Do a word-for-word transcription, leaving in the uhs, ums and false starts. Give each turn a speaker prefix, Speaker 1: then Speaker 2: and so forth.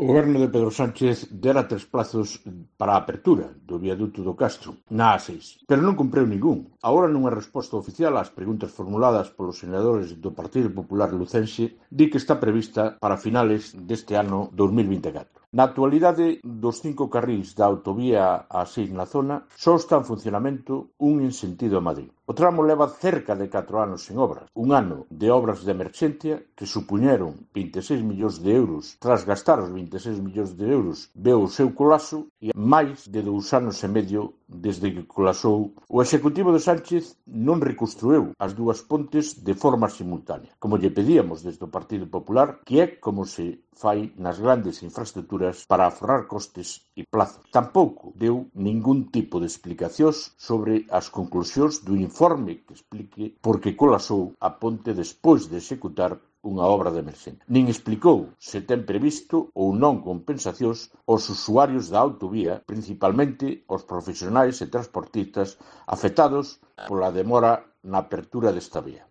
Speaker 1: O goberno de Pedro Sánchez dera tres plazos para a apertura do viaduto do Castro na A seis, pero non cumpriu ningún. Agora, nunha resposta oficial ás preguntas formuladas polos senadores do Partido Popular lucense, di que está prevista para finales deste ano dous mil vinte e catro. Na actualidade, dos cinco carrís da autovía A seis na zona, só está en funcionamento un en sentido a Madrid. O tramo leva cerca de catro anos sen obras, un ano de obras de emerxencia que supuñeron vinte e seis millóns de euros. Tras gastar os vinte e seis millóns de euros, veu o seu colapso e máis de dous anos e medio desde que colapsou. O executivo de Sánchez non reconstruiu as dúas pontes de forma simultánea, como lle pedíamos desde o Partido Popular, que é como se fai nas grandes infraestructuras para aforrar costes e plazos. Tampouco deu ningún tipo de explicacións sobre as conclusións do informe que explique por que colapsou a ponte despois de executar unha obra de emerxencia. Nin explicou se ten previsto ou non compensacións aos usuarios da autovía, principalmente aos profesionais e transportistas afectados pola demora na apertura desta vía.